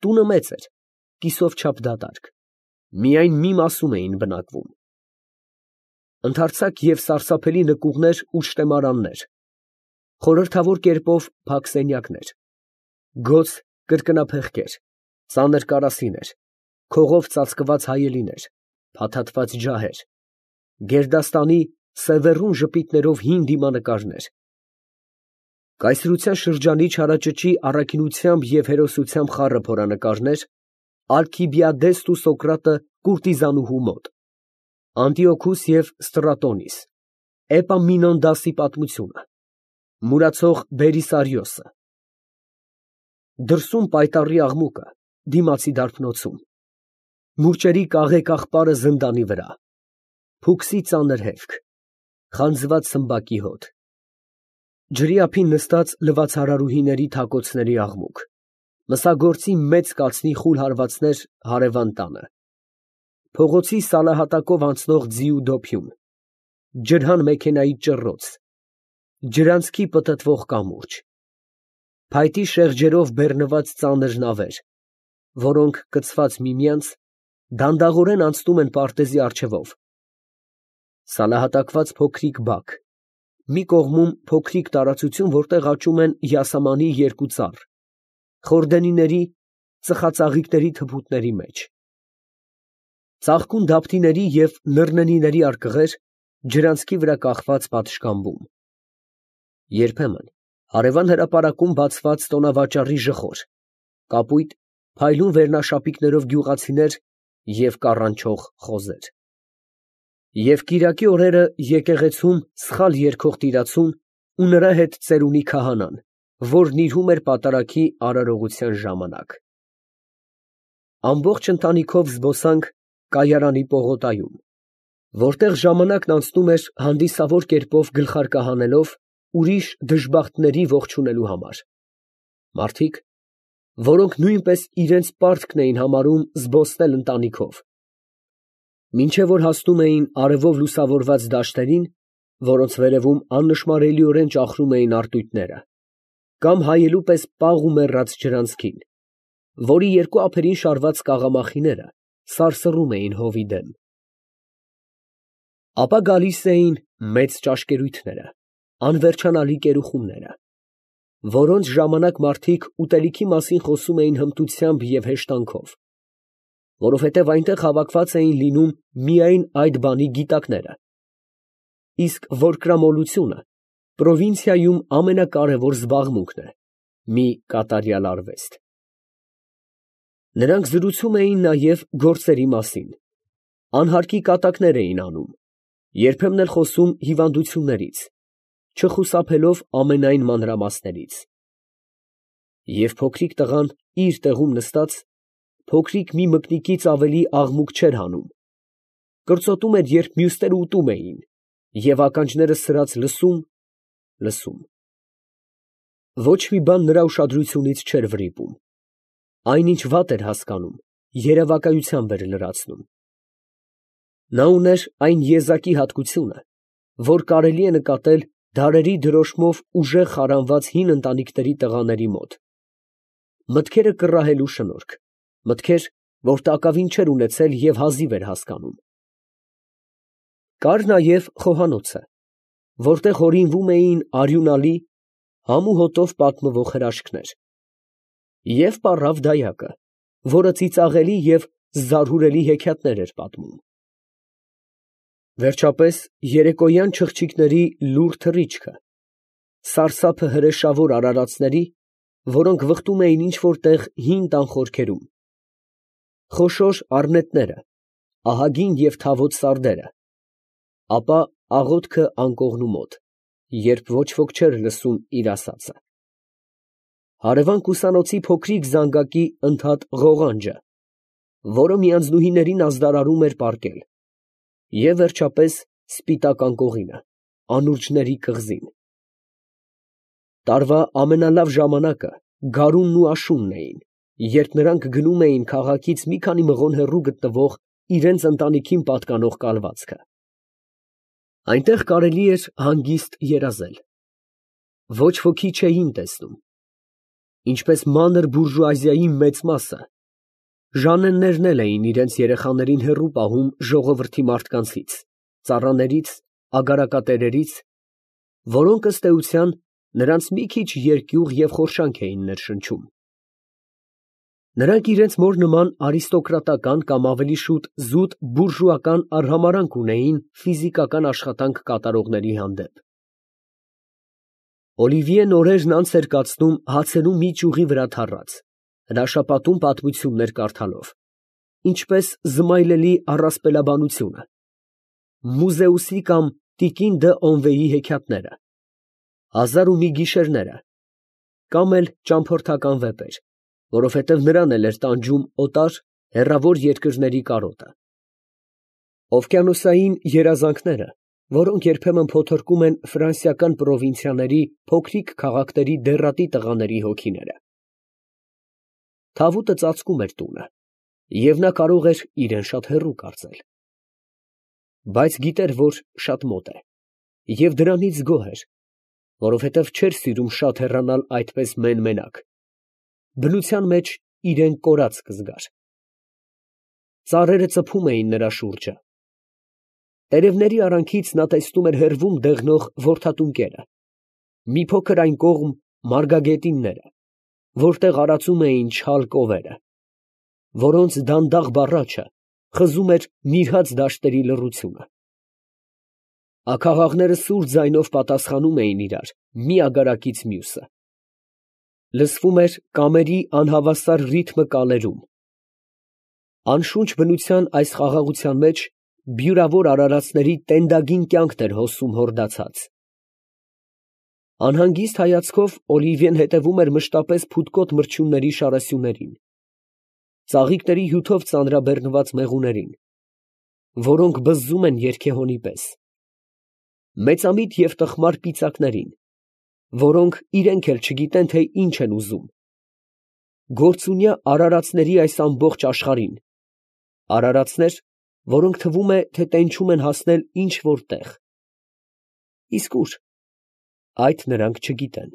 Տունը մեծ էր, կիսով չափ դատարկ, միայն մի մասում էին բնակվում. ընդարձակ և սարսափելի նկուղներ ու շտեմարաններ, խորհրդավոր կերպով փակ սենյակներ, գոց կրկնափեղկեր, ծանր կարասիներ, քողով ծածկված հայելիներ, փաթաթված ջահեր, գերդաստանի սևեռուն ժպիտներով հին դիմանկարներ, կայսրության շրջանի չարաճճի առաքինությամբ և հերոսությամբ խառը փորանկարներ, Ալքիբիադեսն ու Սոկրատը կուրտիզանուհու մոտ, Անտիոքուս և Ստրատոնիս, Էպամինոնդասի պատմությունը, մուրացող Բերիսարիոսը, դրսում պայտառի աղմուկը, դիմացի դարբնոցում, մուրճերի կաղեկ աղբարը զնդանի վրա, փուքսի ծանր հևք, խանձված սմբակի հոտ, ջրի ափին նստած լվացարարուհիների թակոցների աղմուկ, մսագործի մեծ կացնի խուլ հարվածներ հարևան տանը, փողոցի սալահատակով անցնող ձիու դոփյուն, ջրհան մեքենայի ճռռոց, ջրանցքի պտտվող կամուրջ, փայտի շեղջերով բեռնված ծանր նավեր, որոնք կցված միմյանց, դանդաղորեն անցնում են պարտեզի առջևով, սալահատակված փոքրիկ բակ, մի կողմում փոքրիկ տարածություն, որտեղ աճում են յասամանի երկու ծառ, խորդենիների, ծխածաղիկների թփուտների մեջ, ծաղկուն դափտիների և նռնենիների արկղեր ջրանցքի վրա կախված պատշգամբում, երբեմն հարևան հրապարակում բացված տոնավաճառի ժխոր, կապույտ, փայլուն վերնաշապիկներով գյուղացիներ և կառանչող խոզեր, և կիրակի օրերը եկեղեցում սխալ երգող տիրացուն ու նրա հետ ծերունի քահանան, որ նիրհում էր պատարագի արարողության ժամանակ։ Ամբողջ ընտանիքով զբոսանք Կայարանի պողոտայում, որտեղ ժամանակն անցնում էր հանդիսավոր կերպով գլխարկը հանելով ուրիշ դժբախտների ողջունելու համար, մարդիկ, որոնք նույնպես իրենց պարտքն էին համարում զբոսնել ընտանիքով, մինչև որ հասնում էին արևով լուսավորված դաշտերին, որոնց վերևում աննշմարելիորեն ճախրում էին արծույթները, կամ հայելու պես պաղ ու մեռած ջրանցքին, որի երկու ափերին շարված կաղամախիները սարսռում էին հովի դեմ։ Ապա գալիս էին մեծ ճաշկերույթները, անվերջանալի կերուխումները, որոնց ժամանակ մարդիկ ուտելիքի մասին խոսում էին հմտությամբ և հեշտանքով, որովհետև այնտեղ հավաքված էին լինում միայն այդ բանի գիտակները, իսկ որկրամոլությունը պրովինցիայում ամենակարևոր զբաղմունքն է, մի կատարյալ արվեստ։ Նրանք զրուցում էին նաև գործերի մասին, անհարկի կատակներ էին անում, երբեմն էլ խոսում հիվանդություններից, չխուսափելով ամենայն մանրամասներից։ Եվ փոքրիկ տղան իր տեղում նստած, փոքրիկ մի մկնիկից ավելի աղմուկ չէր հանում, կրծոտում էր, երբ մյուսները ուտում էին, և ականջները սրած լսում։ Ոչ մի բան նրա ուշադրությունից չէր վրիպում, այն, ինչ վատ էր հասկանում, երևակայությամբ էր լրացնում։ Նա ուներ այն եզակի հատկությունը, որ կարելի է նկատել դարերի դրոշմով ուժեղ խարանված հին ընտանիքների տղաների մոտ, մտքերը կռահելու շնորհք, մտքեր, որ տակավին չէր ունեցել և հազիվ էր հասկանում։ Կար նաև խոհանոցը, որտեղ հորինվում էին արյունալի, համ ու հոտով պատմվող հրաշքներ, և պառավ դայակը, որը ծիծաղելի և զարհուրելի հեքիաթներ էր պատմում։ Վերջապես երեկոյան չղջիկների լուռ թռիչքը, սարսափը հրեշավոր արարածների, որոնք վխտում էին ինչ֊որ տեղ հին տան խորքերում, խոշոր առնետները, ահագին և թավոտ սարդերը, ապա աղոթքը անկողնու մոտ, երբ ոչ ոք չէր լսում իր ասածը, հարևան կուսանոցի փոքրիկ զանգակի ընդհատ ղողանջը, որը միանձնուհիներին ազդարարում էր պառկել, և վերջապես սպիտակ անկողինը, անուրջների կղզին։ Տարվա ամենալավ ժամանակը գարունն ու աշունն էին, երբ նրանք գնում էին քաղաքից մի քանի մղոն հեռու գտնվող իրենց ընտանիքին պատկանող կալվածքը։ Այնտեղ կարելի էր հանգիստ երազել։ Ոչ ոքի չէին տեսնում։ ինչպես մանր բուրժուազիայի մեծ մասը, Ժաննեններն էլ էին իրենց երեխաներին հեռու պահում ժողովրդի մարդկանցից, ծառաներից, ագարակատերերից, որոնք ըստ էության նրանց մի քիչ երկյուղ և խորշանք էին ներշնչում։ Նրանք իրենց մոր նման արիստոկրատական կամ ավելի շուտ զուտ բուրժուական արհամարհանք ունեին ֆիզիկական աշխատանք կատարողների հանդեպ։ Օլիվիեն օրերն անց էր կացնում հացերու մի ճյուղի վրա թառած, հրաշապատում պատմություններ կարդալով, ինչպես զմայլելի առասպելաբանությունը, Մուզեուսի կամ տիկին դը Օնվեյի հեքիաթները, Հազար ու մի գիշերները, կամ էլ ճամփորդական վեպեր, որովհետև նրան էլ էր տանջում օտար, հեռավոր երկրների կարոտը, Օվկիանոսային երազանքները, որոնք երբեմն փոթորկում են ֆրանսիական պրովինցիաների փոքրիկ քաղաքների դեռատի տղաների հոգիները։ Թավուտը ծածկում էր տունը, և նա կարող էր իրեն շատ հեռու կարծել, բայց գիտեր, որ շատ մոտ է, և դրանից գոհ էր, որովհետև չէր սիրում շատ հեռանալ այդպես մեն֊մենակ, բնության մեջ իրան կորած կզգար։ Ծառերը ծփում էին նրա շուրջը։ Տերևների արանքից նա տեսնում էր հեռվում դեղնող որդատունկերը, մի փոքր այն կողմ մարգագետինները, որտեղ արածում էին չալ կովերը, որոնց դանդաղ բառաչը խզում էր նիրհած դաշտերի լռությունը։ Աքաղաղները սուր ձայնով պատասխանում էին իրար մի ագարակից մյուսը։ Լսվում էր կամերի անհավասար ռիթմը կալերում։ Անշունչ բնության այս խաղաղության մեջ բյուրավոր արարածների տենդագին կյանքն էր հոսում հորդացած։ Անհանգիստ հայացքով Օլիվիեն հետևում էր մշտապես փութկոտ մրջյունների շարասյուներին, ծաղիկների հյութով ծանրաբեռնված մեղուներին, որոնք բզզում են երգեհոնի պես, մեծամիտ և տխմար պիծակներին, որոնք իրենք էլ չգիտեն, թե ինչ են ուզում, գործունյա արարածների այս ամբողջ աշխարհին, արարածներ, որոնք թվում է, թե տենչում են հասնել ինչ֊որ տեղ։ Իսկ ուր։ Այդ նրանք չգիտեն։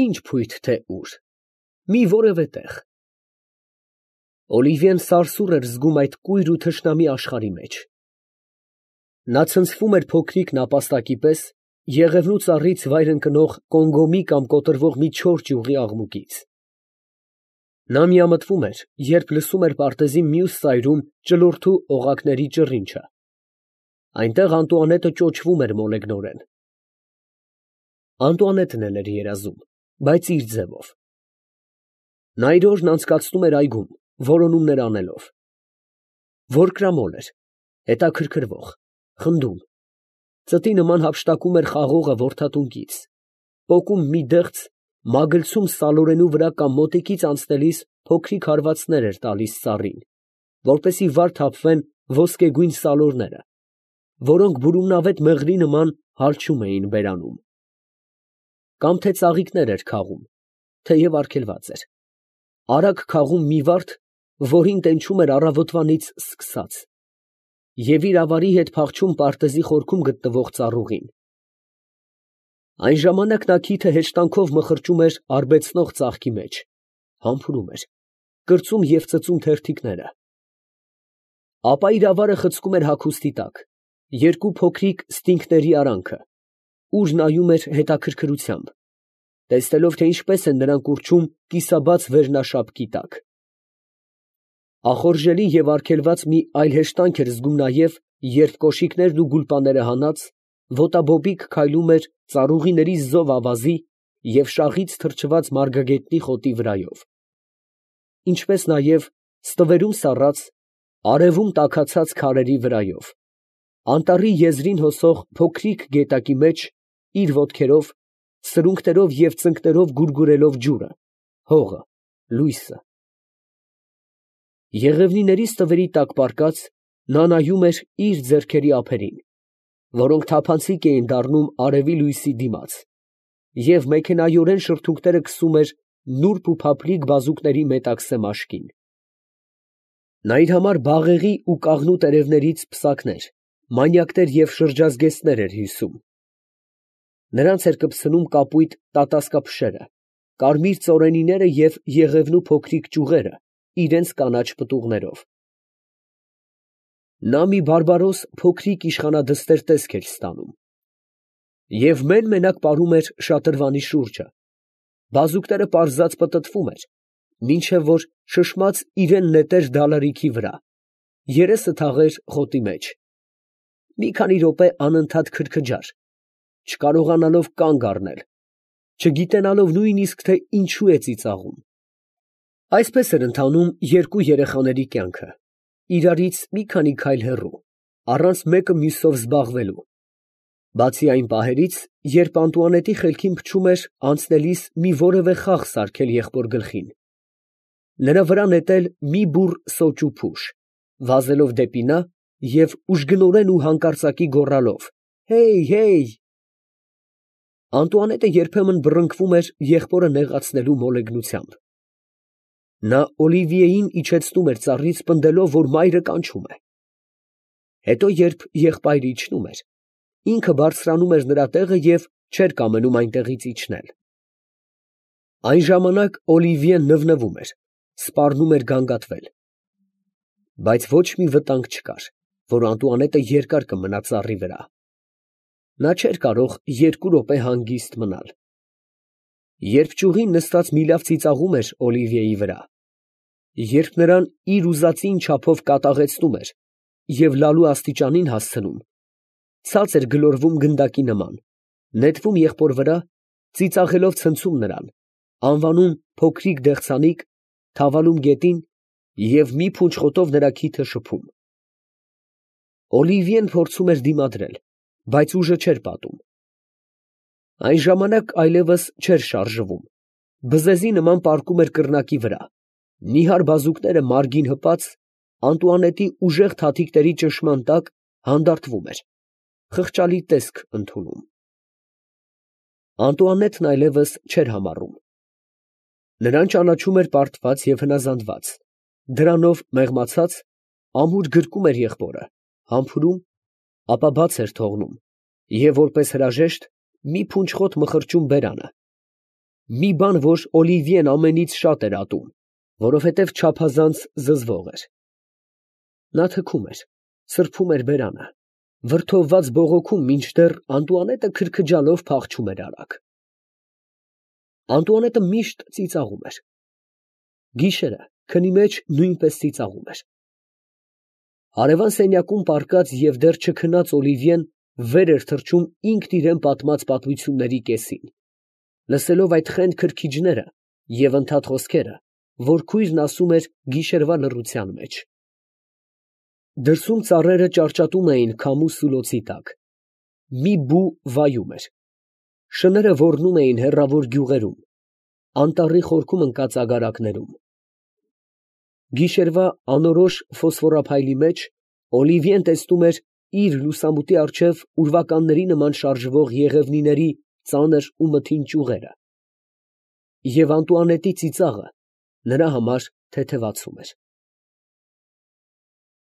Ինչ փույթ թե ուր։ Մի որևէ տեղ։ Օլիվիեն սարսուռ էր զգում այդ կույր ու թշնամի աշխարհի մեջ։ Նա ցնցվում էր փոքրիկ նապաստակի պես եղևնու ծառից վայր ընկնող կոնգոմի կամ կոտրվող մի չոր ճյուղի աղմուկից։ Նա միամտվում էր, երբ լսում էր պարտեզի մյուս ծայրում ճլորթու օղակների ճռինչը։ Այնտեղ Անտուանետը ճոճվում էր մոլեգնորեն։ Անտուանետն էլ էր երազում, բայց իր ձևով։ Նա իր օրն անցկացնում էր այգում, որոնումներ անելով։ Որկրամոլ էր, հետաքրքրվող, խնդում, ծտի նման հափշտակում էր խաղողը որդատունկից, պոկում մի դեղց, մագլցում սալորենու վրա կամ մոտիկից անցնելիս փոքրիկ հարվածներ էր տալիս ծառին, որպեսզի վար թափվեն ոսկեգույն սալորները, որոնք բուրումնավետ մեղրի նման հալչում էին բերանում։ Կամ թե ծաղիկներ էր քաղում, թեև արգելված էր, արագ քաղում մի վարդ, որին տենչում էր առավոտվանից սկսած, և իր ավարի հետ փախչում պարտեզի խորքում գտնվող ծառուղին։ Այն ժամանակ նա քիթը հեշտանքով մխրճում էր արբեցնող ծաղկի մեջ, համբուրում էր, կրծում և ծծում թերթիկները։ Ապա իր ավարը խցկում էր հագուստի տակ, երկու փոքրիկ ստինգների արանքը, ուր նայում էր հետաքրքրությամբ, տեսնելով, թե ինչպես են նրանք ուռչում կիսաբաց վերնաշապկի տակ։ Ախորժելի և արգելված մի այլ հեշտանք էր զգում նաև, երբ կոշիկներն ու գուլպաները հանած, ոտաբոբիկ քայլում էր ծառուղիների զով ավազի և շաղից թրջված մարգագետնի խոտի վրայով, ինչպես նաև ստվերում սառած, արևում տաքացած քարերի վրայով, անտառի եզրին հոսող փոքրիկ գետակի մեջ իր ոտքերով, սրունքներով և ծնկներով գուրգուրելով ջուրը, հողը, լույսը։ Եղևնիների ստվերի տակ պառկած, նա նայում էր իր ձեռքերի ափերին, որոնք թափանցիկ էին դառնում արևի լույսի դիմաց, և մեքենայորեն շրթունքները քսում էր նուրբ ու փափլիկ բազուկների մետաքսե մաշկին։ Նա իր համար բաղեղի ու կաղնու տերևներից պսակներ, մանյակներ և շրջազգեստներ էր հյուսում։ Նրանց էր կպցնում կապույտ տատասկափշերը, կարմիր ծորենիները և եղևնու փոքրիկ ճյուղերը իրենց կանաչ պտուղներով։ Նա մի բարբարոս փոքրիկ իշխանադստեր տեսք էր ստանում և մեն֊մենակ պարում էր շատրվանի շուրջը, բազուկները պարզած պտտվում էր, մինչև որ շշմած իրան նետեր դալարիքի վրա, երեսը թաղեր խոտի մեջ, մի քանի րոպե անընդհատ քրքջար, չկարողանալով կանգ առնել, չգիտենալով նույնիսկ, թե ինչու է ծիծաղում։ Այսպես էր ընթանում երկու երեխաների կյանքը, իրարից մի քանի քայլ հեռու, առանց մեկը մյուսով զբաղվելու, բացի այն պահերից, երբ Անտուանետի խելքին փչում էր անցնելիս մի որևէ խաղ սարքել եղբոր գլխին, նրա վրա նետել մի բուռ սոճ ու փուշ, վազելով դեպի նա և ուժգնորեն ու հանկարծակի գոռալով. «Հեյ, հեյ»։ Անտուանետը երբեմն բռնկվում էր եղբորը նեղացնելու մոլեգնությամբ։ Նա Օլիվիեին իջեցնում էր ծառից, պնդելով, որ մայրը կանչում է։ Հետո, երբ եղբայրը իջնում էր, ինքը բարձրանում էր նրա տեղը և չէր կամենում այնտեղից իջնել։ Այն ժամանակ Օլիվիեն նվնվում էր, սպառնում էր գանգատվել, բայց ոչ մի վտանգ չկար, որ Անտուանետը երկար կմնա ծառի վրա։ Նա չէր կարող 2 րոպե հանգիստ մնալ։ Երբ ճյուղին նստած միլավ ծիծաղում էր Օլիվիեի վրա, երբ նրան իր ուզածին չափով կատաղեցնում էր և լալու աստիճանին հասցնում, ցած էր գլորվում գնդակի նման, նետվում եղբոր վրա, ծիծաղելով ցնցում նրան, անվանում փոքրիկ դեղցանիկ, թավալում գետին և մի փունջ խոտով նրա քիթը շփում։ Օլիվիեն փորձում էր դիմադրել, բայց ուժը չէր պատում։ Այն ժամանակ այլևս չէր շարժվում, բզեզի նման պառկում էր կռնակի վրա, նիհար բազուկները մարգին հպած, Անտուանետի ուժեղ թաթիկների ճնշման տակ հանդարտվում էր, խղճալի տեսք ընդունում։ Անտուանետն այլևս չէր համառում։ Նրան ճանաչում էր պարտված և հնազանդված, դրանով մեղմացած, ամուր գրկում էր եղբորը, համբուրում, ապա բաց էր թողնում և որպես հրաժեշտ մի փունջ խոտ մխրճում բերանը, մի բան, որ Օլիվիեն ամենից շատ էր ատում, որովհետև չափազանց զզվող էր։ Նա թքում էր, սրբում էր բերանը, վրդովված բողոքում, մինչդեռ Անտուանետը քրքջալով փախչում էր արագ։ Անտուանետը միշտ ծիծաղում էր։ Գիշերը քնի մեջ նույնպես ծիծաղում էր։ Հարևան սենյակում պառկած և դեռ չքնած Օլիվիեն վեր էր թռչում ինքն իրան պատմած պատմությունների կեսին, լսելով այդ խենդ քրքիջները և ընդհատ խոսքերը, որ քույրն ասում էր գիշերվա լռության մեջ։ Դրսում ծառերը ճարճատում էին քամու սուլոցի տակ, մի բու վայում էր, շները ոռնում էին հեռավոր գյուղերում, անտառի խորքում ընկած ագարակներում։ Գիշերվա անորոշ ֆոսֆորափայլի մեջ Օլիվիեն տեսնում էր իր լուսամուտի առջև ուրվականների նման շարժվող եղևնիների ծանր ու մթին ճյուղերը, և Անտուանետի ծիծաղը նրա համար թեթևացում էր։